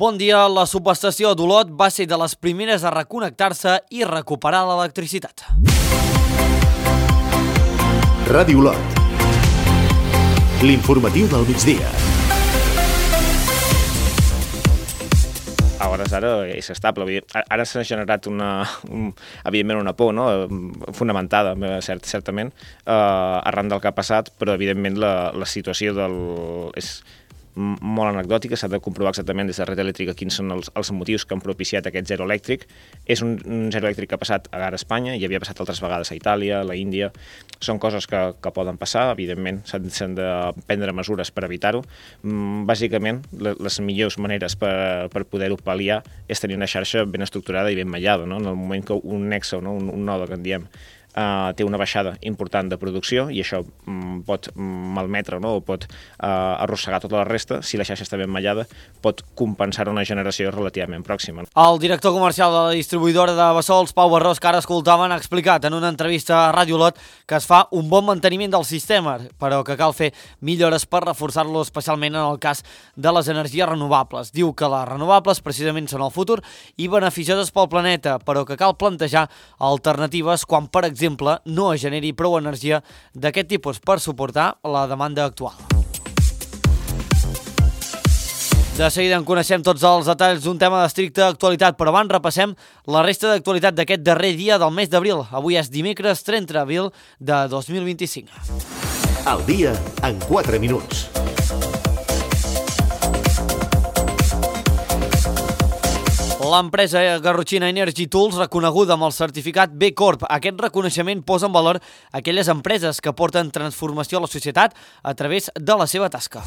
Bon dia, la subestació d'Olot va ser de les primeres a reconnectar-se i recuperar l'electricitat. Ràdio Olot. L'informatiu del migdia. A hores d'ara és estable. Ara s'ha generat evidentment una por, no? Fonamentada, certament, arran del que ha passat, però evidentment la situació és molt anecdòtica. S'ha de comprovar exactament des de Red Elèctrica quins són els motius que han propiciat aquest zero elèctric. És un zero elèctric que ha passat ara a Espanya i havia passat altres vegades a Itàlia, a la Índia. Són coses que poden passar, evidentment, s'han de prendre mesures per evitar-ho. Bàsicament, les millors maneres per poder-ho pal·liar és tenir una xarxa ben estructurada i ben mallada, no? En el moment que un nexe, un node que en diem, té una baixada important de producció i això pot malmetre, no? O pot arrossegar tota la resta. Si la xarxa està ben mallada, pot compensar una generació relativament pròxima. El director comercial de la distribuïdora de Bassols, Pau Barrós, que ara escoltaven, ha explicat en una entrevista a Ràdio Olot que es fa un bon manteniment del sistema, però que cal fer millores per reforçar-lo, especialment en el cas de les energies renovables. Diu que les renovables precisament són el futur i beneficioses pel planeta, però que cal plantejar alternatives quan, per exemple, no es generi prou energia d'aquest tipus per suportar la demanda actual. De seguida en coneixem tots els detalls d'un tema d'estricta actualitat, però abans repassem la resta d'actualitat d'aquest darrer dia del mes d'abril. Avui és dimecres 30 d'abril de 2025. El dia en 4 minuts. L'empresa garrotxina Energy Tools, reconeguda amb el certificat B Corp. Aquest reconeixement posa en valor aquelles empreses que porten transformació a la societat a través de la seva tasca.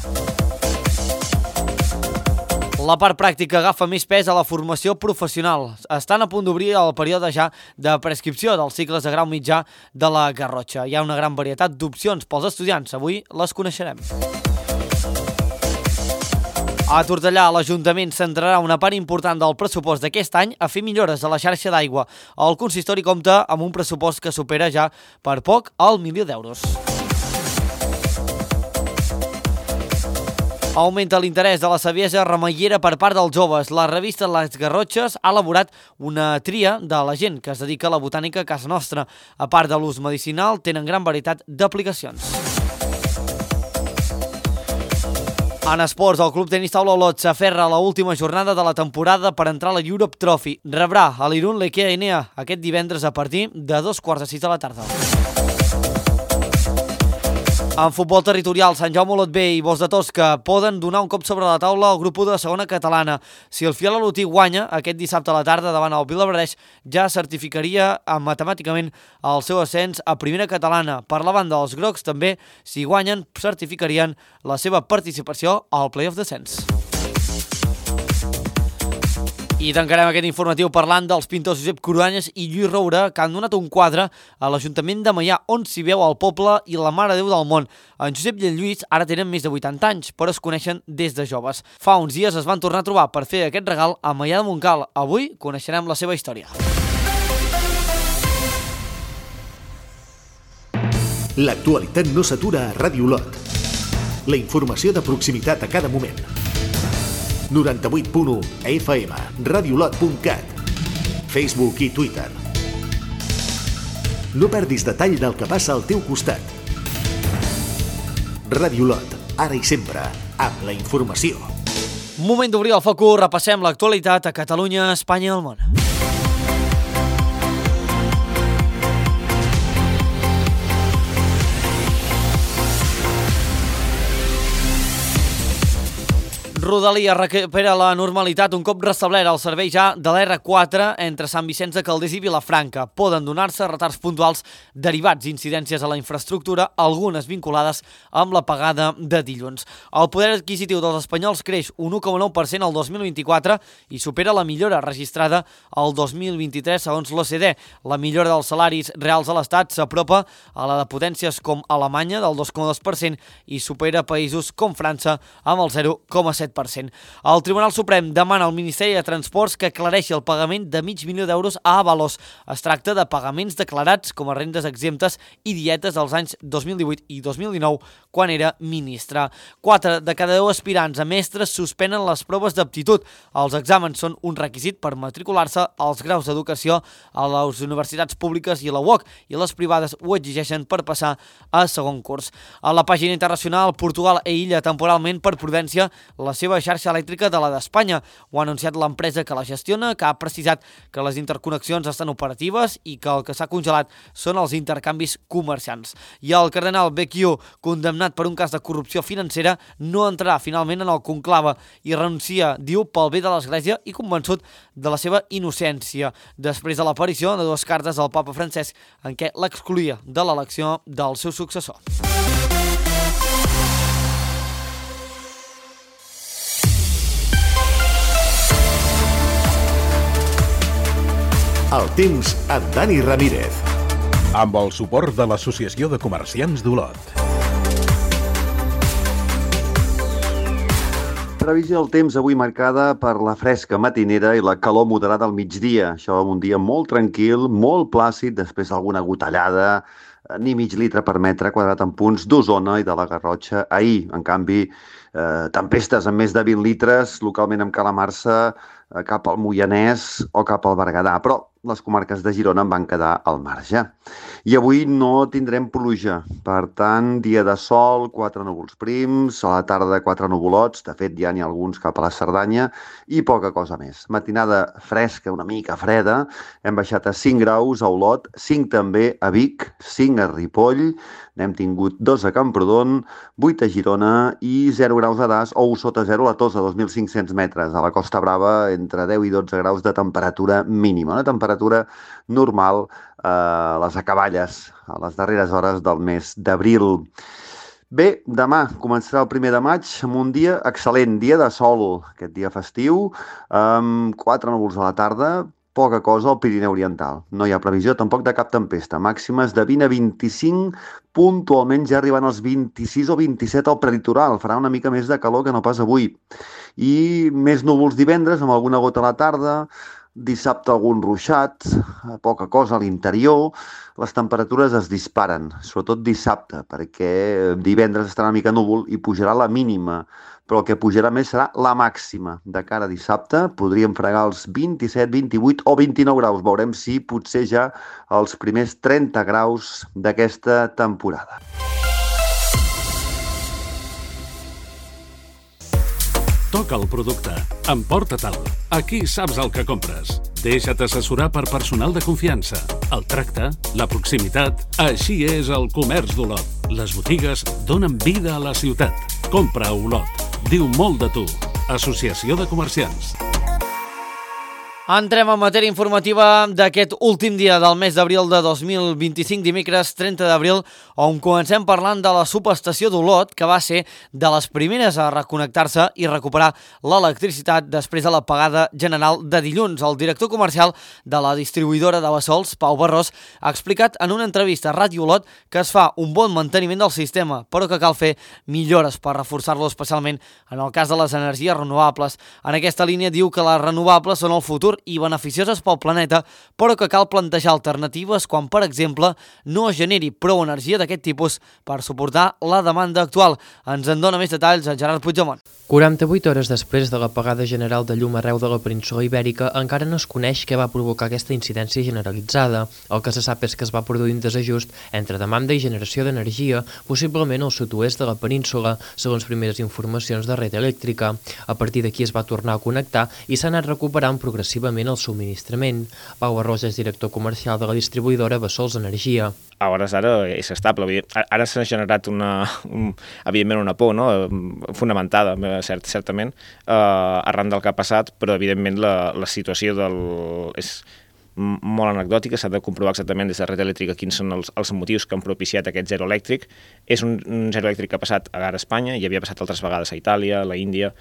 La part pràctica agafa més pes a la formació professional. Estan a punt d'obrir el període ja de prescripció dels cicles de grau mitjà de la Garrotxa. Hi ha una gran varietat d'opcions pels estudiants. Avui les coneixerem. A Tortellà, l'Ajuntament centrarà una part important del pressupost d'aquest any a fer millores a la xarxa d'aigua. El consistori compta amb un pressupost que supera ja per poc el 1.000.000 d'euros. Augmenta l'interès de la saviesa remeiera per part dels joves. La revista Les Garrotxes ha elaborat una tria de la gent que es dedica a la botànica a casa nostra. A part de l'ús medicinal, tenen gran varietat d'aplicacions. En esports, el Club Tenis Taula Olot s'aferra a l'última jornada de la temporada per entrar a la Europe Trophy. Rebrà a l'Irun l'Ikea Enea aquest divendres a partir de 5:45 de la tarda. En futbol territorial, Sant Jaume Olot B i Bos de Tosca poden donar un cop sobre la taula al grup 1 de segona catalana. Si el Fiol Olotí guanya aquest dissabte a la tarda davant el Vilablareix, ja certificaria matemàticament el seu ascens a primera catalana. Per la banda dels grocs, també, si guanyen, certificarien la seva participació al play-off descens. I tancarem aquest informatiu parlant dels pintors Josep Cruanyes i Lluís Roura, que han donat un quadre a l'Ajuntament de Maià, on s'hi veu el poble i la Mare de Déu del món. En Josep i en Lluís ara tenen més de 80 anys, però es coneixen des de joves. Fa uns dies es van tornar a trobar per fer aquest regal a Maià de Montcal. Avui coneixerem la seva història. L'actualitat no s'atura a Ràdio Olot. La informació de proximitat a cada moment. 98.1 FM, radiolot.cat, Facebook i Twitter. No perdis detall del que passa al teu costat. Ràdio Olot, ara i sempre, amb la informació. Moment d'obrir el focus, repassem l'actualitat a Catalunya, Espanya i el món. Rodalia recupera la normalitat un cop restablert el servei ja de l'R4 entre Sant Vicenç de Calders i Vilafranca. Poden donar-se retards puntuals derivats d'incidències a la infraestructura, algunes vinculades amb la pagada de dilluns. El poder adquisitiu dels espanyols creix un 1,9% al 2024 i supera la millora registrada al 2023 segons l'OCDE. La millora dels salaris reals a l'Estat s'apropa a la de potències com Alemanya del 2,2% i supera països com França amb el 0,7%. 7%. El Tribunal Suprem demana al Ministeri de Transports que aclareixi el pagament de $500.000 a Avalos. Es tracta de pagaments declarats com a rendes exemptes i dietes dels anys 2018 i 2019, quan era ministre. 4 de cada 10 aspirants a mestres suspenen les proves d'aptitud. Els exàmens són un requisit per matricular-se als graus d'educació a les universitats públiques i la UOC, i les privades ho exigeixen per passar a segon curs. A la pàgina internacional, Portugal aïlla temporalment per prudència la seva xarxa elèctrica de la d'Espanya. Ho ha anunciat l'empresa que la gestiona, que ha precisat que les interconnexions estan operatives i que el que s'ha congelat són els intercanvis comerciants. I el cardenal Becchio, condemnat per un cas de corrupció financera, no entrarà finalment en el conclave i renuncia, diu, pel bé de l'Església i convençut de la seva innocència, després de l'aparició de 2 cartes del papa Francesc en què l'excloïa de l'elecció del seu successor. El temps amb Dani Ramírez. Amb el suport de l'Associació de Comerciants d'Olot. Previsió del temps avui marcada per la fresca matinera i la calor moderada al migdia. Això un dia molt tranquil, molt plàcid, després d'alguna gotellada, ni mig litre per metre quadrat en punts d'Osona i de la Garrotxa. Ahir, en canvi, tempestes amb més de 20 litres, localment amb calamarsa cap al Moianès o cap al Berguedà, però les comarques de Girona en van quedar al marge. I avui no tindrem pluja, per tant, dia de sol, 4 núvols prims, a la tarda 4 nuvolots, de fet ja n'hi ha alguns cap a la Cerdanya, i poca cosa més. Matinada fresca, una mica freda, hem baixat a 5 graus a Olot, 5 també a Vic, 5 a Ripoll, n'hem tingut 2 a Camprodon, 8 a Girona i 0 graus a Das o 1 sota 0 a la Tossa, 2.500 metres. A la Costa Brava, entre 10 i 12 graus de temperatura mínima, una temperatura normal a les acaballes, a les darreres hores del mes d'abril. Bé, demà començarà el 1 de maig amb un dia excel·lent, dia de sol, aquest dia festiu, amb 4 núvols a la tarda, poca cosa al Pirineu Oriental. No hi ha previsió tampoc de cap tempesta. Màximes de 20 a 25, puntualment ja arribant als 26 o 27 al prelitoral. Farà una mica més de calor que no pas avui. I més núvols divendres, amb alguna gota a la tarda, dissabte algun ruixat, poca cosa a l'interior. Les temperatures es disparen, sobretot dissabte, perquè divendres estarà una mica núvol i pujarà la mínima, però el que pujarà més serà la màxima. De cara a dissabte podríem fregar els 27, 28 o 29 graus. Veurem si potser ja els primers 30 graus d'aquesta temporada. Toca el producte. Emporta-te'l. Aquí saps el que compres. Deixa't assessorar per personal de confiança. El tracte, la proximitat... Així és el comerç d'Olot. Les botigues donen vida a la ciutat. Compra a Olot. Diu molt de tu. Associació de Comerciants. Entrem en matèria informativa d'aquest últim dia del mes d'abril de 2025, dimecres 30 d'abril, on comencem parlant de la subestació d'Olot, que va ser de les primeres a reconnectar-se i recuperar l'electricitat després de l'apagada general de dilluns. El director comercial de la distribuïdora de Bassols, Pau Barrós, ha explicat en una entrevista a Ràdio Olot que es fa un bon manteniment del sistema, però que cal fer millores per reforçar-lo, especialment en el cas de les energies renovables. En aquesta línia diu que les renovables són el futur i beneficioses pel planeta, però que cal plantejar alternatives quan, per exemple, no es generi prou energia d'aquest tipus per suportar la demanda actual. Ens en dona més detalls a Gerard Puigdemont. 48 hores després de l'apagada general de llum arreu de la península Ibèrica, encara no es coneix què va provocar aquesta incidència generalitzada. El que se sap és que es va produir un desajust entre demanda i generació d'energia, possiblement al sud-oest de la península, segons primeres informacions de Red Elèctrica. A partir d'aquí es va tornar a connectar i s'ha anat recuperant progressivament el subministrament. Pau Barrós és director comercial de la distribuïdora Bassols Energia. A hores d'ara és estable. Ara s'ha generat evidentment una por, no? Fonamentada, certament, arran del que ha passat, però evidentment la situació és molt anecdòtica, s'ha de comprovar exactament des de Red Elèctrica quins són els motius que han propiciat aquest zero elèctric. És un zero elèctric que ha passat a Espanya, i havia passat altres vegades a Itàlia, a la Índia.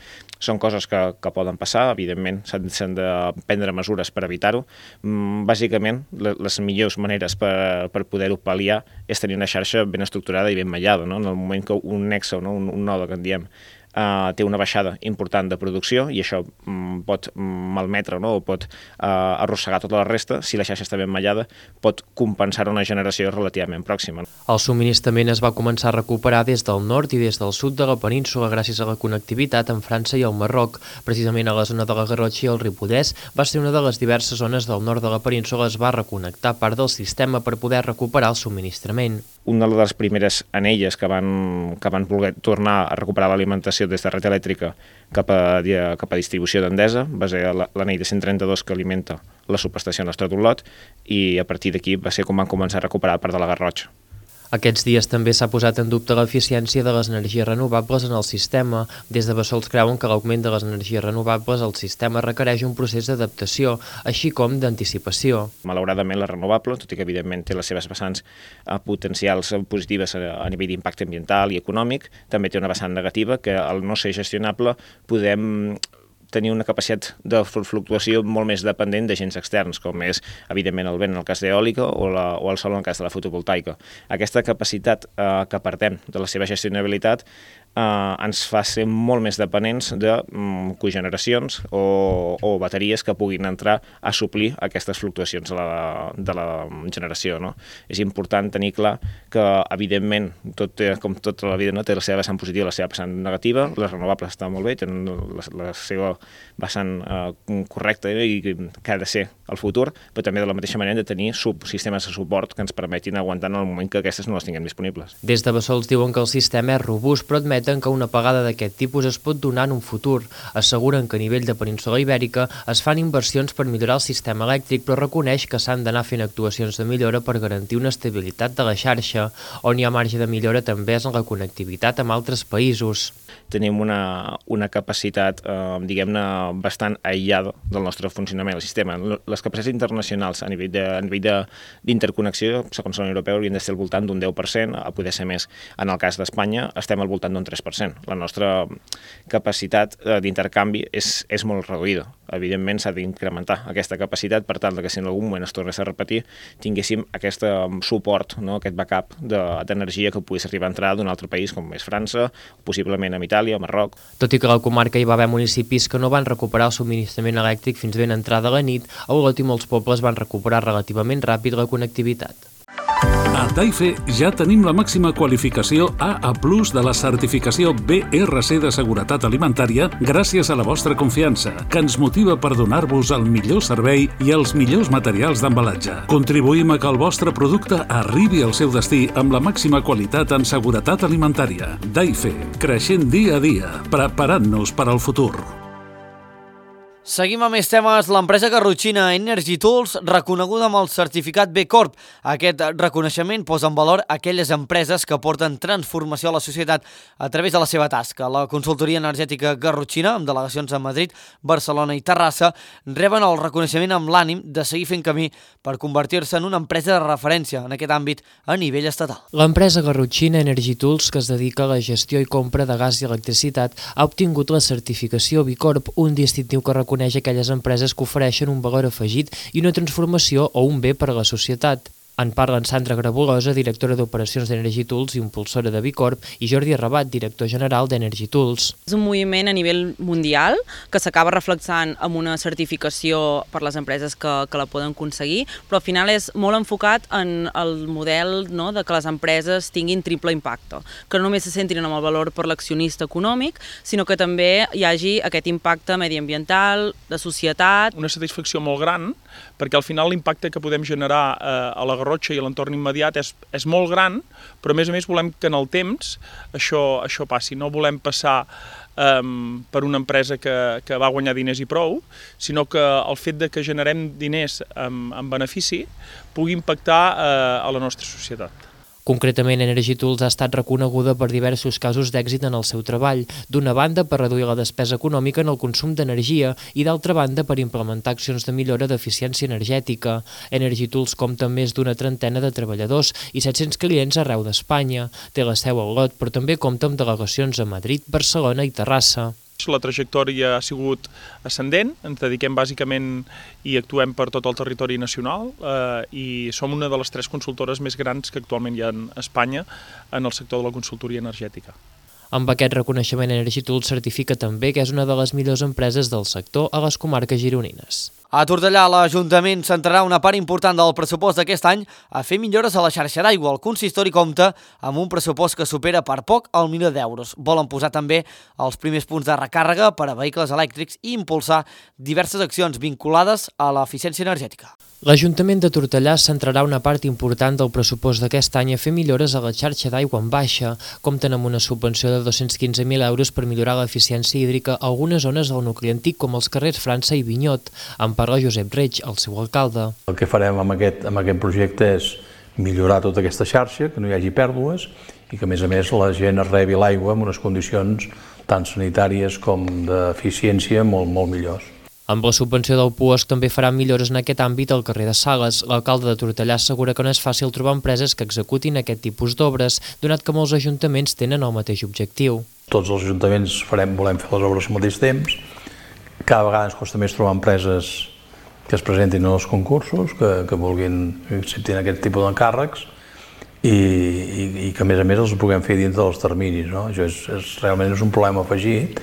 Són coses que poden passar, evidentment, s'han de prendre mesures per evitar-ho. Bàsicament, les millors maneres per poder-ho pal·liar és tenir una xarxa ben estructurada i ben mallada, no? En el moment que un nexe, no? un node que en diem, té una baixada important de producció i això pot malmetre, no? O pot arrossegar tota la resta. Si la xarxa està ben mallada, pot compensar una generació relativament pròxima. El subministrament es va començar a recuperar des del nord i des del sud de la península gràcies a la connectivitat amb França i el Marroc. Precisament a la zona de la Garrotxa i el Ripollès va ser una de les diverses zones del nord de la península es va reconnectar part del sistema per poder recuperar el subministrament. Una de les primeres anelles que van voler tornar a recuperar l'alimentació des de red elèctrica cap a distribució d'Endesa va ser l'anell de 132 que alimenta la subestació Nostre d'Olot i a partir d'aquí va ser com van començar a recuperar part de la Garrotxa. Aquests dies també s'ha posat en dubte l'eficiència de les energies renovables en el sistema. Des de Bassols creuen que l'augment de les energies renovables al sistema requereix un procés d'adaptació, així com d'anticipació. Malauradament, la renovable, tot i que evidentment té les seves vessants potencials positives a nivell d'impacte ambiental i econòmic, també té una vessant negativa que al no ser gestionable podem tenir una capacitat de fluctuació molt més dependent d'agents externs, com és, evidentment, el vent en el cas d'eòlica o el sol en el cas de la fotovoltaica. Aquesta capacitat que perdem de la seva gestionabilitat ens fa ser molt més dependents de cogeneracions o bateries que puguin entrar a suplir aquestes fluctuacions de la generació. No? És important tenir clar que, evidentment, com tota la vida, no? Té la seva vessant positiva i la seva vessant negativa. Les renovables estan molt bé, tenen la seva vessant correcta i que ha de ser el futur, però també de la mateixa manera de tenir sistemes de suport que ens permetin aguantar en el moment que aquestes no les tinguem disponibles. Des de Bassols diuen que el sistema és robust, però admeten que una apagada d'aquest tipus es pot donar en un futur. Asseguren que a nivell de península Ibèrica es fan inversions per millorar el sistema elèctric, però reconeix que s'han d'anar fent actuacions de millora per garantir una estabilitat de la xarxa. On hi ha marge de millora també és en la connectivitat amb altres països. Tenim una capacitat, diguem-ne, bastant aïllada del nostre funcionament del sistema. Les capacitats internacionals a nivell d'interconnexió, segons la Unió Europea, haurien de ser al voltant d'un 10%, a poder ser més. En el cas d'Espanya estem al voltant d'un 3%. La nostra capacitat d'intercanvi és molt reduïda. Evidentment s'ha d'incrementar aquesta capacitat per tal que si en algun moment es tornés a repetir tinguéssim aquest suport, no? Aquest backup d'energia que pogués arribar a entrar d'un altre país com és França, possiblement amb Itàlia o Marroc. Tot i que a la comarca hi va haver municipis que no van recuperar el subministrament elèctric fins ben entrada la nit, a Olot i molts pobles van recuperar relativament ràpid la connectivitat. A Taife ja tenim la màxima qualificació AA+ de la certificació BRC de seguretat alimentària gràcies a la vostra confiança, que ens motiva per donar-vos el millor servei i els millors materials d'embalatge. Contribuïm a que el vostre producte arribi al seu destí amb la màxima qualitat en seguretat alimentària. Taife, creixent dia a dia, preparant-nos per al futur. Seguim amb més temes. L'empresa garrotxina Energy Tools, reconeguda amb el certificat B Corp. Aquest reconeixement posa en valor aquelles empreses que aporten transformació a la societat a través de la seva tasca. La consultoria energètica garrotxina, amb delegacions a Madrid, Barcelona i Terrassa, reben el reconeixement amb l'ànim de seguir fent camí per convertir-se en una empresa de referència en aquest àmbit a nivell estatal. L'empresa garrotxina Energy Tools, que es dedica a la gestió i compra de gas i electricitat, ha obtingut la certificació B Corp, un distintiu que reconeix aquelles empreses que ofereixen un valor afegit i una transformació o un bé per a la societat. En parlen Sandra Grabulosa, directora d'Operacions d'Energy Tools i impulsora de B Corp, i Jordi Arrabat, director general d'Energy Tools. És un moviment a nivell mundial que s'acaba reflexant amb una certificació per les empreses que la poden aconseguir, però al final és molt enfocat en el model, no, de que les empreses tinguin triple impacte, que no només se centrin en el valor per l'accionista econòmic, sinó que també hi hagi aquest impacte mediambiental, de societat. Una satisfacció molt gran, perquè al final l'impacte que podem generar a la Garrotxa i a l'entorn immediat és molt gran, però a més volem que en el temps això passi. No volem passar per una empresa que va guanyar diners i prou, sinó que el fet de que generem diners en benefici pugui impactar a la nostra societat. Concretament, Energy Tools ha estat reconeguda per diversos casos d'èxit en el seu treball, d'una banda per reduir la despesa econòmica en el consum d'energia i d'altra banda per implementar accions de millora d'eficiència energètica. Energy Tools compta amb més d'una trentena de treballadors i 700 clients arreu d'Espanya. Té la seu a Olot, però també compta amb delegacions a Madrid, Barcelona i Terrassa. La trajectòria ha sigut ascendent, ens dediquem bàsicament i actuem per tot el territori nacional i som una de les 3 consultores més grans que actualment hi ha a Espanya en el sector de la consultoria energètica. Amb aquest reconeixement, EnergyTools certifica també que és una de les millors empreses del sector a les comarques gironines. A Tortellà, l'Ajuntament centrarà una part important del pressupost d'aquest any a fer millores a la xarxa d'aigua. El consistori compta amb un pressupost que supera per poc el milió d'euros. Volen posar també els primers punts de recàrrega per a vehicles elèctrics i impulsar diverses accions vinculades a l'eficiència energètica. L'Ajuntament de Tortellà centrarà una part important del pressupost d'aquest any a fer millores a la xarxa d'aigua en baixa. Compten amb una subvenció de 215.000 euros per millorar l'eficiència hídrica a algunes zones del nucli antic, com els carrers França i Vinyot. En parla Josep Reig, el seu alcalde. El que farem amb aquest projecte és millorar tota aquesta xarxa, que no hi hagi pèrdues i que, a més, la gent es rebi l'aigua en unes condicions tant sanitàries com d'eficiència molt millors. Amb la subvenció del PUOSC també farà millores en aquest àmbit al carrer de Sales. L'alcalde de Tortellà assegura que no és fàcil trobar empreses que executin aquest tipus d'obres, donat que molts ajuntaments tenen el mateix objectiu. Tots els ajuntaments volem fer les obres al mateix temps. Cada vegada ens costa més trobar empreses que es presentin en els concursos, que vulguin acceptar aquest tipus d'encàrrecs i que, a més, els puguem fer dins dels terminis. No? Això realment és un problema afegit,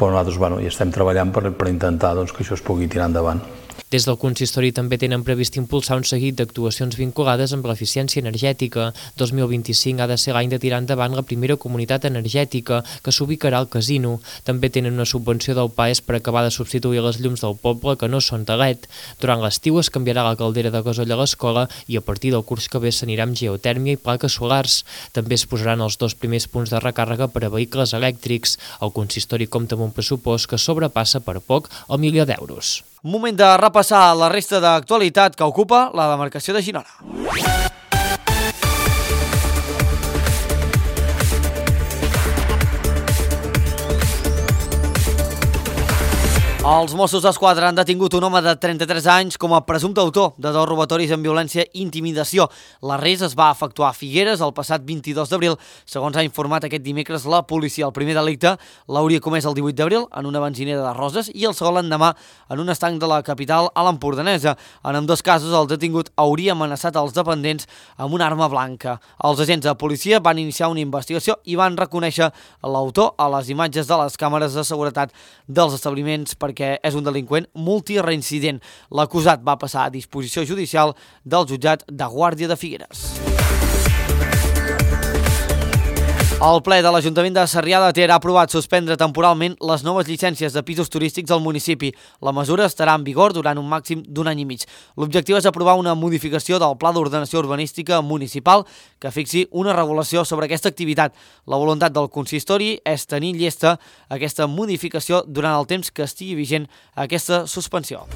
però nosaltres hi estem treballant per intentar que això es pugui tirar endavant. Des del consistori també tenen previst impulsar un seguit d'actuacions vinculades amb l'eficiència energètica. 2025 ha de ser l'any de tirar endavant la primera comunitat energètica, que s'ubicarà al casino. També tenen una subvenció del PAES per acabar de substituir les llums del poble que no són de LED. Durant l'estiu es canviarà la caldera de gasoll a l'escola i a partir del curs que ve s'anirà amb geotèrmia i plaques solars. També es posaran els 2 primers punts de recàrrega per a vehicles elèctrics. El consistori compta amb un pressupost que sobrepassa per poc el milió d'euros. Moment de repassar la resta d'actualitat que ocupa la demarcació de Girona. Els Mossos d'Esquadra han detingut un home de 33 anys com a presumpte autor de 2 robatoris amb violència i intimidació. L'arrest es va efectuar a Figueres el passat 22 d'abril, segons ha informat aquest dimecres la policia. El primer delicte l'hauria comès el 18 d'abril en una benzinera de Roses i el segon l'endemà en un estanc de la capital a l'Empordanesa. En ambdós casos, el detingut hauria amenaçat els dependents amb una arma blanca. Els agents de policia van iniciar una investigació i van reconèixer l'autor a les imatges de les càmeres de seguretat dels establiments perquè és un delinqüent multireincident. L'acusat va passar a disposició judicial del jutjat de Guàrdia de Figueres. El ple de l'Ajuntament de Sarrià de Ter ha aprovat suspendre temporalment les noves llicències de pisos turístics al municipi. La mesura estarà en vigor durant un màxim d'un any i mig. L'objectiu és aprovar una modificació del Pla d'Ordenació Urbanística Municipal que fixi una regulació sobre aquesta activitat. La voluntat del consistori és tenir llesta aquesta modificació durant el temps que estigui vigent aquesta suspensió.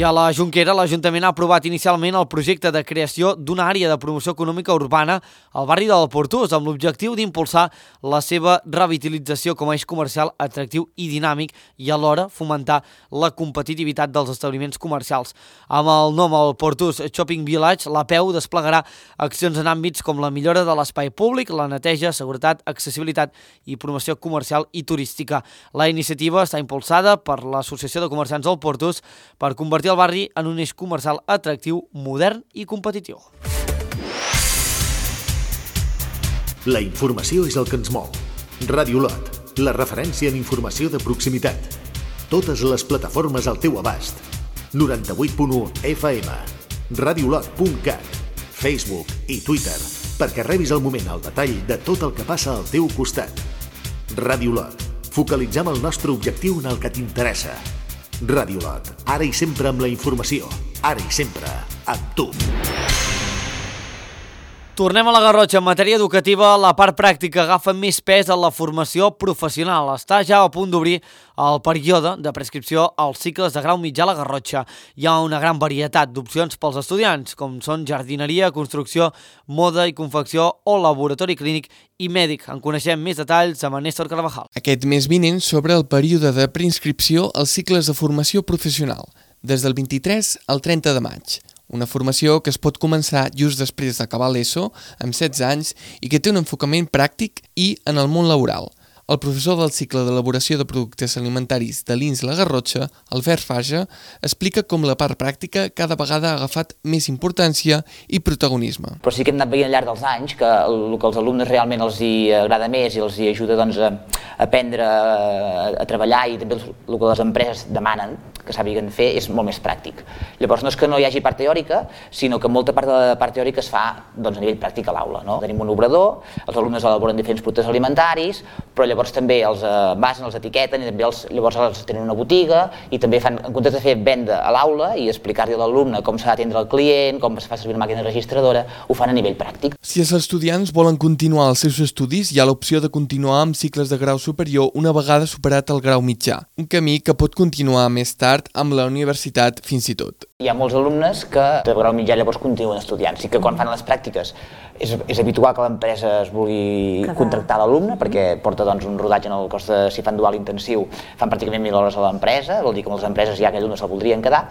I a la Jonquera, l'Ajuntament ha aprovat inicialment el projecte de creació d'una àrea de promoció econòmica urbana al barri del Portús, amb l'objectiu d'impulsar la seva revitalització com a eix comercial atractiu i dinàmic i alhora fomentar la competitivitat dels establiments comercials. Amb el nom el Portús Shopping Village, l'APEU desplegarà accions en àmbits com la millora de l'espai públic, la neteja, seguretat, accessibilitat i promoció comercial i turística. La iniciativa està impulsada per l'Associació de Comerciants del Portús per convertir el barri en un eix comercial atractiu, modern i competitiu. La informació és el que ens mou. Ràdio Lot, la referència en informació de proximitat. Totes les plataformes al teu abast. 98.1 FM, radiolot.cat, Facebook i Twitter, perquè rebis al moment el detall de tot el que passa al teu costat. Ràdio Lot, focalitzem el nostre objectiu en el que t'interessa. Ràdio Lot, ara i sempre amb la informació, ara i sempre amb tu. Tornem a la Garrotxa. En matèria educativa, la part pràctica agafa més pes en la formació professional. Està ja a punt d'obrir el període de prescripció als cicles de grau mitjà a la Garrotxa. Hi ha una gran varietat d'opcions pels estudiants, com són jardineria, construcció, moda i confecció o laboratori clínic i mèdic. En coneixem més detalls amb Néstor Carvajal. Aquest mes vinent s'obre el període de preinscripció als cicles de formació professional, des del 23 al 30 de maig. Una formació que es pot començar just després d'acabar l'ESO, amb 16 anys, i que té un enfocament pràctic i en el món laboral. El professor del cicle d'elaboració de productes alimentaris de l'INS La Garrotxa, Albert Faja, explica com la part pràctica cada vegada ha agafat més importància i protagonisme. Però sí que hem anat veient al llarg dels anys que el que als alumnes realment els hi agrada més i els hi ajuda a aprendre a treballar i també el que les empreses demanen que sàpiguen fer és molt més pràctic. Llavors no és que no hi hagi part teòrica, sinó que molta part de la part teòrica es fa a nivell pràctic a l'aula. Tenim un obrador, els alumnes elaboren diferents productes alimentaris, però llavors també els envasen, els etiqueten i també llavors els tenen una botiga i també fan, en comptes de fer venda a l'aula i explicar-li a l'alumne com s'ha d'atendre el client, com es fa servir una màquina registradora, ho fan a nivell pràctic. Si els estudiants volen continuar els seus estudis, hi ha l'opció de continuar amb cicles de grau superior una vegada superat el grau mitjà, un camí que pot continuar més tard amb la universitat fins i tot. Hi ha molts alumnes que de grau mitjà llavors continuen estudiant, sí que quan fan les pràctiques és habitual que l'empresa es vulgui contractar l'alumne perquè porta un rodatge en el cos de, si fan dual intensiu, fan pràcticament 1.000 hores a l'empresa, vol dir que moltes empreses ja aquell alumne se'l voldrien quedar,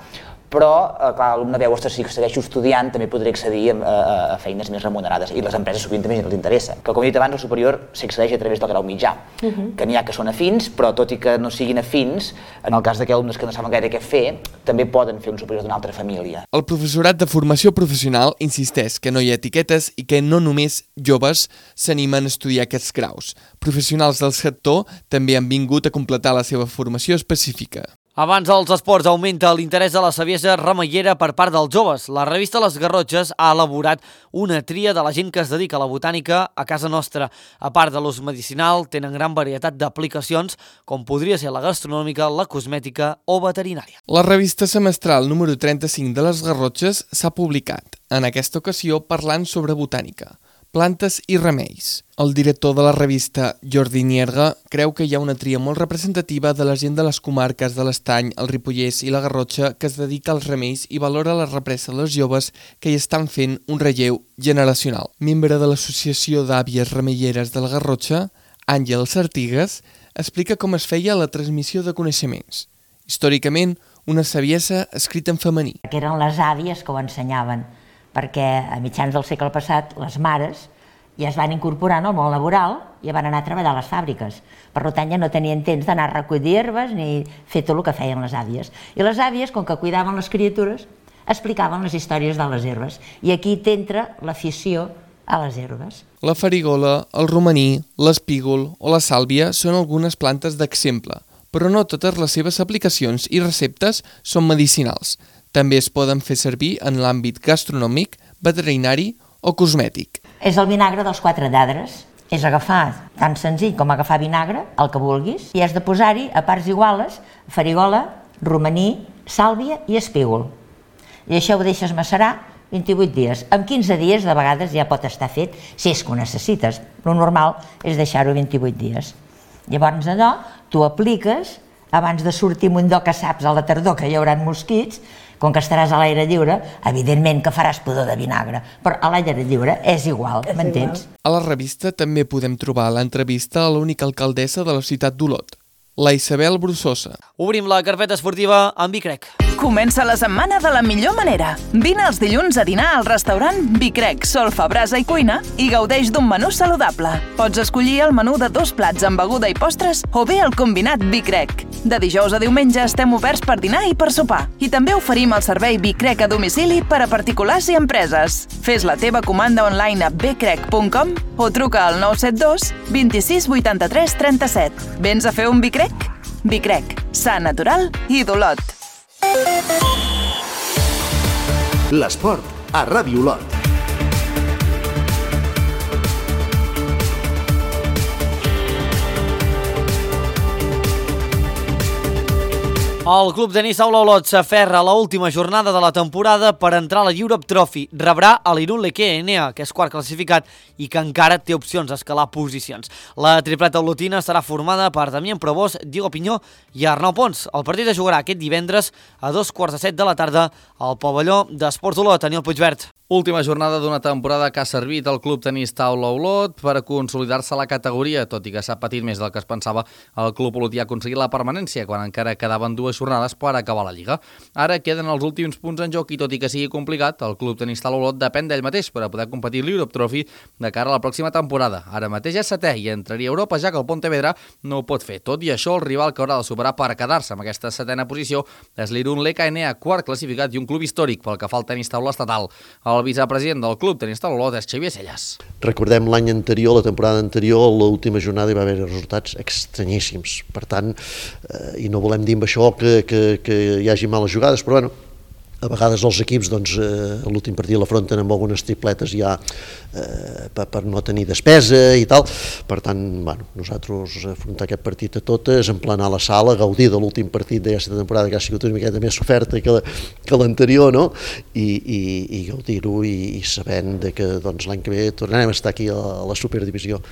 però clar, l'alumne veu, ostres, si segueixo estudiant també podré accedir a feines més remunerades i les empreses sovint també els interessa. Que com he dit abans, el superior s'accedeix a través del grau mitjà, que n'hi ha que són afins, però tot i que no siguin afins, en el cas d'aquells alumnes que no saben gaire què fer, també poden fer un superior d'una altra família. El professorat de formació professional insisteix que no hi ha etiquetes i que no només joves s'animen a estudiar aquests graus. Professionals del sector també han vingut a completar la seva formació específica. Abans dels esports augmenta l'interès de la saviesa remeiera per part dels joves. La revista Les Garrotxes ha elaborat una tria de la gent que es dedica a la botànica a casa nostra. A part de l'ús medicinal, tenen gran varietat d'aplicacions, com podria ser la gastronòmica, la cosmètica o veterinària. La revista semestral número 35 de Les Garrotxes s'ha publicat, en aquesta ocasió parlant sobre botànica, plantes i remeis. El director de la revista, Jordi Nierga, creu que hi ha una tria molt representativa de la gent de les comarques de l'Estany, el Ripollès i la Garrotxa que es dedica als remeis i valora la represa dels joves que hi estan fent un relleu generacional. Membre de l'Associació d'Àvies Remeieres de la Garrotxa, Àngels Artigues, explica com es feia la transmissió de coneixements. Històricament, una saviesa escrita en femení. Que eren les àvies que ho ensenyaven, perquè a mitjans del segle passat les mares ja es van incorporar al món laboral i van anar a treballar a les fàbriques. Per tant, ja no tenien temps d'anar a recollir herbes ni fer tot el que feien les àvies. I les àvies, com que cuidaven les criatures, explicaven les històries de les herbes. I aquí t'entra l'afició a les herbes. La farigola, el romaní, l'espígol o la sàlvia són algunes plantes d'exemple, però no totes les seves aplicacions i receptes són medicinals. També es poden fer servir en l'àmbit gastronòmic, veterinari o cosmètic. És el vinagre dels 4 lladres. És agafar, tan senzill com agafar vinagre, el que vulguis, i has de posar-hi a parts iguales farigola, romaní, sàlvia i espígol. I això ho deixes macerar 28 dies. En 15 dies de vegades ja pot estar fet, si és que ho necessites. Lo normal és deixar-ho 28 dies. Llavors allò, tu apliques, abans de sortir un do que saps a la tardor que hi haurà mosquits, com que estaràs a l'aire lliure, evidentment que faràs pudor de vinagre, però a l'aire lliure és igual, m'entens? A la revista també podem trobar l'entrevista a l'única alcaldessa de la ciutat d'Olot, la Isabel Brussosa. Obrim la carpeta esportiva amb Bicrec. Comença la setmana de la millor manera. Vine els dilluns a dinar al restaurant Bicrec, Solfa, Brasa i Cuina i gaudeix d'un menú saludable. Pots escollir el menú de 2 plats amb beguda i postres o bé el combinat Bicrec. De dijous a diumenge estem oberts per dinar i per sopar. I també oferim el servei Bicrec a domicili per a particulars i empreses. Fes la teva comanda online a bcrec.com o truca al 972 26 83 37. Vens a fer un Bicrec? Bicrec, sa natural i d'Olot. L'esport a Ràdio Olot. El club tenis Taula Olot s'aferra a l'última jornada de la temporada per entrar a la Europe Trophy. Rebrà a l'Irun Leque Enea, que és quart classificat i que encara té opcions a escalar posicions. La tripleta olotina serà formada per Damián Probós, Diego Pinyó i Arnau Pons. El partit es jugarà aquest divendres a 2:15 de la tarda al pavelló d'Esports Olot. Daniel Puigvert. Última jornada d'una temporada que ha servit al Club Tenis Taula Olot per consolidar-se a la categoria, tot i que s'ha patit més del que es pensava. El Club Olotí ha aconseguit la permanència quan encara quedaven 2 jornades per acabar la Lliga. Ara queden els últims punts en joc i tot i que sigui complicat, el Club Tenis Taula Olot depèn d'ell mateix per a poder competir l'Europe Trophy de cara a la pròxima temporada. Ara mateix és 7è i entraria a Europa, ja que el Pontevedra no ho pot fer. Tot i això, el rival que haurà de superar per quedar-se amb aquesta 7a posició és l'Irun LKNA, quart classificat i un club històric pel que fa al tenis taula estatal. El vicepresident del Club Tenis Taula Olot és Xavier Celles. Recordem l'any anterior, la temporada anterior, l'última jornada hi va haver resultats estranyíssims. Per tant, i no volem dir amb això que hi hagi males jugades, però bueno, a vegades els equips l'últim partit l'afronten amb algunes tripletes ja per no tenir despesa i tal. Per tant, nosaltres afrontar aquest partit a totes, emplenar la sala, gaudir de l'últim partit d'aquesta temporada que ha sigut una miqueta més oferta que l'anterior, no? I gaudir-ho i sabent que l'any que ve tornarem a estar aquí a la Superdivisió.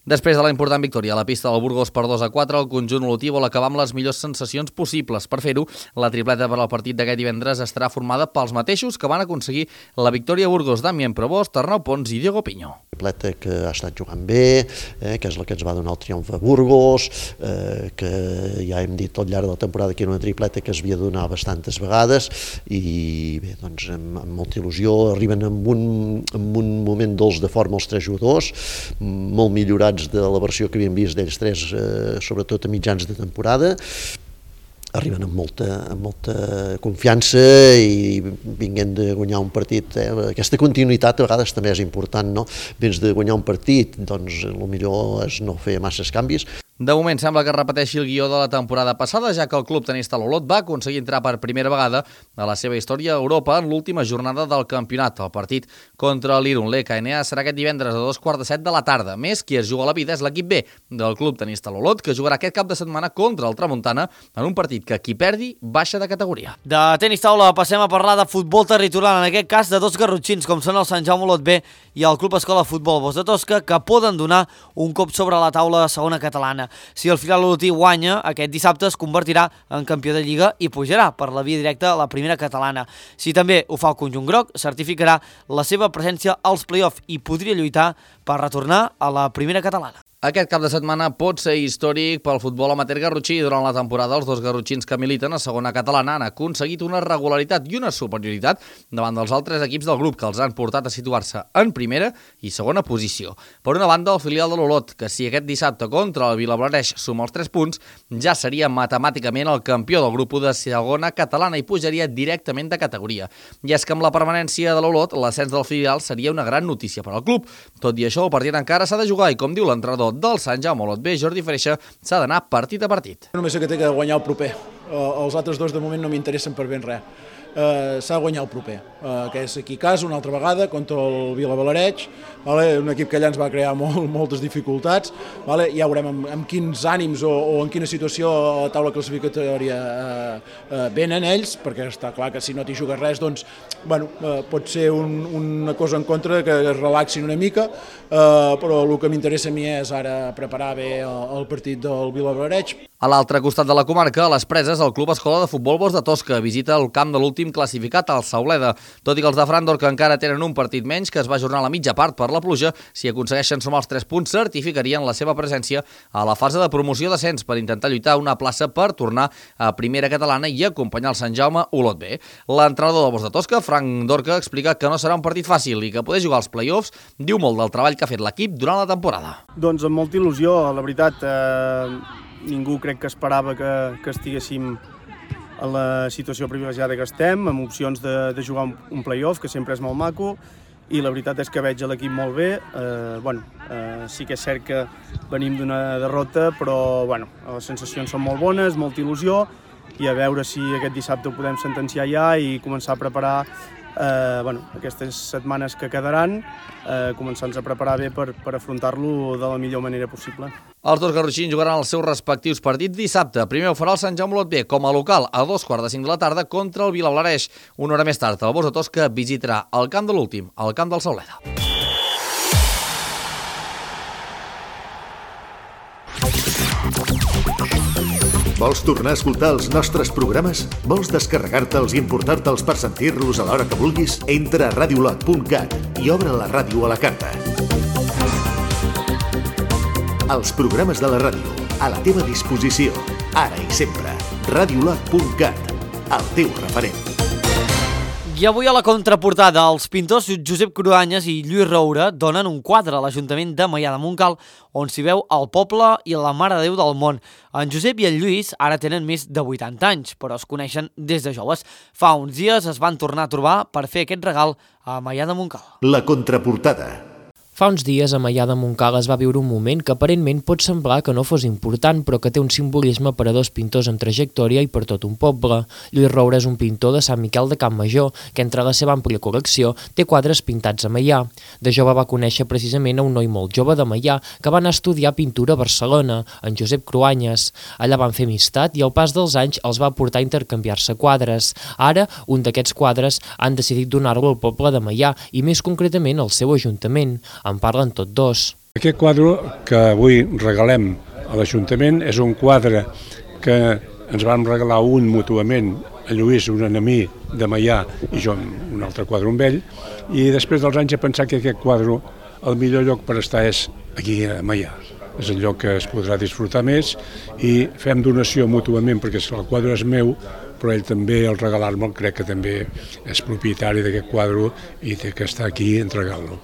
Després de la important victòria a la pista del Burgos per 2-4, el conjunt olotí vol acabar amb les millors sensacions possibles. Per fer-ho, la tripleta per al partit d'aquest divendres estarà formada pels mateixos que van aconseguir la victòria a Burgos: Damien Provost, Arnau Pons i Diego Piño. Tripleta que ha estat jugant bé, que és la que ens va donar el triomf a Burgos, que ja hem dit tot llarg de la temporada que era una tripleta que es havia de donar bastantes vegades i bé, doncs amb molta il·lusió arriben amb un moment dolç de forma els 3 jugadors, molt millorats de la versió que havíem vist d'ells 3, sobretot a mitjans de temporada. Arriben amb molta confiança i vinguent de guanyar un partit. Aquesta continuïtat a vegades també és important, no? Vens de guanyar un partit, doncs el millor és no fer masses canvis. De moment sembla que repeteixi el guió de la temporada passada, ja que el Club Tenis Taula Olot va aconseguir entrar per primera vegada a la seva història a Europa en l'última jornada del campionat. El partit contra l'Irun LKNA serà aquest divendres a 2:45 de la tarda. Més, qui es juga la vida és l'equip B del Club Tenis Taula Olot, que jugarà aquest cap de setmana contra el Tramuntana en un partit que qui perdi baixa de categoria. De tenis taula passem a parlar de futbol territorial, en aquest cas de 2 garrotxins, com són el Sant Jaume Olot B i el Club Escola Futbol Bos de Tosca, que poden donar un cop sobre la taula de segona catalana. Si el filial olotí guanya, aquest dissabte es convertirà en campió de Lliga i pujarà per la via directa a la primera catalana. Si també ho fa el conjunt groc, certificarà la seva presència als play-off i podria lluitar per retornar a la primera catalana. Aquest cap de setmana pot ser històric pel futbol amateur garrotxí. Durant la temporada, els 2 garrotxins que militen a segona catalana han aconseguit una regularitat i una superioritat davant dels altres equips del grup, que els han portat a situar-se en primera i segona posició. Per una banda, el filial de l'Olot, que si aquest dissabte contra el Vilablareix suma els 3 punts, ja seria matemàticament el campió del grup de segona catalana i pujaria directament de categoria. I és que amb la permanència de l'Olot, l'ascens del filial seria una gran notícia per al club. Tot i això, el partit encara s'ha de jugar i, com diu l'entrenador del Sant Jaume Olot B, Jordi Freixa, s'ha d'anar partit a partit. Només que té que guanyar el proper. Els altres 2 de moment no m'interessen per ben res. S'ha de guanyar el proper, que és aquí a casa una altra vegada contra el Vilablareix, un equip que allà ens va crear moltes dificultats. Ja veurem amb quins ànims o en quina situació a la taula classificatòria venen ells, perquè està clar que si no t'hi jugues res, doncs pot ser una cosa en contra que es relaxin una mica, però el que m'interessa a mi és ara preparar bé el partit del Vilablareix. A l'altre costat de la comarca, a les Preses, el Club Escola de Futbol Bos de Tosca visita el camp de l'últim classificat, el Sauleda. Tot i que els de Frandor, que encara tenen un partit menys, que es va ajornar a la mitja part per la pluja, si aconsegueixen sumar els 3 punts, certificarien la seva presència a la fase de promoció d'ascens per intentar lluitar una plaça per tornar a primera catalana i acompanyar el Sant Jaume Olot B. L'entrenador del Bos de Tosca, Frank Dorca, explica que no serà un partit fàcil i que poder jugar als play-offs diu molt del treball que ha fet l'equip durant la temporada. Doncs amb molta il·lusió, la veritat. Ningú crec que esperava que estiguéssim en la situació privilegiada que estem, amb opcions de jugar un play-off, que sempre és molt maco, i la veritat és que veig l'equip molt bé. Sí que és cert que venim d'una derrota, però les sensacions són molt bones, molta il·lusió, i a veure si aquest dissabte ho podem sentenciar ja i començar a preparar aquestes setmanes que quedaran, començant-nos a preparar bé per afrontar-lo de la millor manera possible. Els 2 garrotxins jugaran els seus respectius partits dissabte. Primer ho farà el Sant Jaume Olot B com a local a 2:45 de la tarda contra el Vilablareix. Una hora més tard, el Bos de Tosca visitarà el camp de l'últim, el camp del Sauleda. Vols tornar a escoltar els nostres programes? Vols descarregar-te'ls i emportar-te'ls per sentir-los a l'hora que vulguis? Entra a radiolot.cat i obre la ràdio a la carta. Els programes de la ràdio, a la teva disposició, ara i sempre. Radiolot.cat, el teu referent. I avui a la contraportada, els pintors Josep Cruanyes i Lluís Roure donen un quadre a l'Ajuntament de Maià de Montcal on s'hi veu el poble i la Mare de Déu del món. En Josep i en Lluís ara tenen més de 80 anys, però es coneixen des de joves. Fa uns dies es van tornar a trobar per fer aquest regal a Maià de Montcal. La contraportada. Fa uns dies a Maià de Montcal es va viure un moment que aparentment pot semblar que no fos important, però que té un simbolisme per a dos pintors amb trajectòria i per tot un poble. Lluís Roure és un pintor de Sant Miquel de Campmajor, que entre la seva àmplia col·lecció té quadres pintats a Maià. De jove va conèixer precisament a un noi molt jove de Maià que va anar a estudiar pintura a Barcelona, en Josep Cruanyes. Allà van fer amistat i al pas dels anys els va portar a intercanviar-se quadres. Ara, un d'aquests quadres han decidit donar-lo al poble de Maià i més concretament al seu ajuntament. En parlen tots dos. Aquest quadre que avui regalem a l'Ajuntament és un quadre que ens vam regalar un mútuament, a Lluís, un enemic de Maià, i jo un altre quadre amb ell, i després dels anys he pensat que aquest quadre, el millor lloc per estar és aquí a Maià. És el lloc que es podrà disfrutar més i fem donació mútuament perquè el quadre és meu, però ell també, al regalar-me'l, crec que també és propietari d'aquest quadre i té que estar aquí i entregar-lo.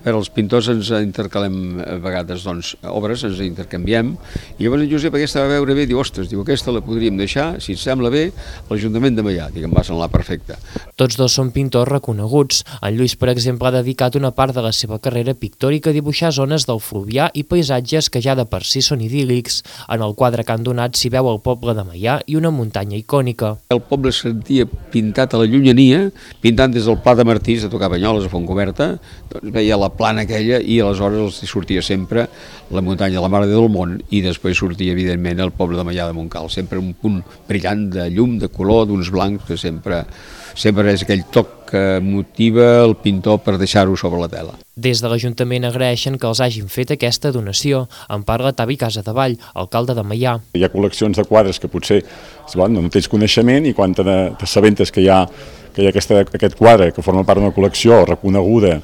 Els pintors ens intercalem a vegades obres, ens intercanviem, i llavors en Josep aquesta va veure bé i diu, ostres, aquesta la podríem deixar, si et sembla bé, a l'Ajuntament de Maià, em va semblar perfecte. Tots dos són pintors reconeguts. En Lluís, per exemple, ha dedicat una part de la seva carrera pictòrica a dibuixar zones del Fluvià i paisatges que ja de per si són idíl·lics. En el quadre que han donat s'hi veu el poble de Maià i una muntanya icònica. El poble es sentia pintat a la llunyania, pintant des del Pla de Martís, a tocar Banyoles, a Fontcoberta, doncs veia la plana aquella i aleshores els sortia sempre la muntanya de la Mare de Déu del món i després sortia evidentment el poble de Maià de Montcal, sempre un punt brillant de llum, de color, d'uns blancs, que sempre és aquell toc que motiva el pintor per deixar-ho sobre la tela. Des de l'Ajuntament agraeixen que els hagin fet aquesta donació. En parla Tavi Casadevall, alcalde de Maià. Hi ha col·leccions de quadres que potser no tens coneixement i quan t'assabentes que hi ha aquest quadre que forma part d'una col·lecció reconeguda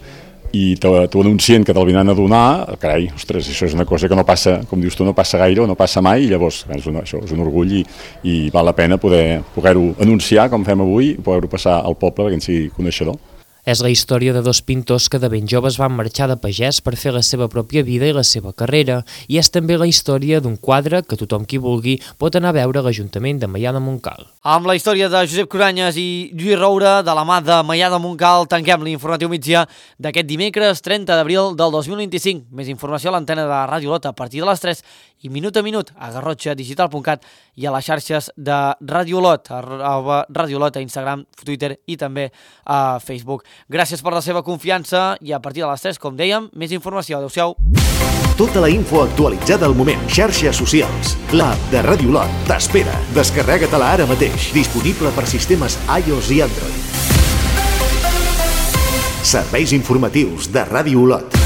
i t'ho anuncien que te'l vinen a donar, carai, ostres, això és una cosa que no passa, com dius tu, no passa gaire o no passa mai, i llavors això és un orgull i val la pena poder-ho anunciar com fem avui i poder-ho passar al poble perquè en sigui coneixedor. És la història de dos pintors que de ben joves van marxar de pagès per fer la seva pròpia vida i la seva carrera, i és també la història d'un quadre que tothom qui vulgui pot anar a veure a l'Ajuntament de Maià de Montcal. Amb la història de Josep Cruanyes i Lluís Roure, de la mà de Maià de Montcal, tanquem l'informatiu migdia d'aquest dimecres 30 d'abril del 2025. Més informació a l'antena de Ràdio Lot a partir de les 3 i minut a minut a garrotxadigital.cat i a les xarxes de Ràdio Lot, a Ràdio Lot, a Instagram, Twitter i també a Facebook. Gràcies per la seva confiança i a partir de les 3, com dèiem, més informació. Adéu-siau. Tota la info actualitzada al moment. Xarxes socials. L'app de Ràdio Lot t'espera. Descarrega-te-la ara mateix. Disponible per sistemes iOS i Android. Serveis informatius de Ràdio Lot.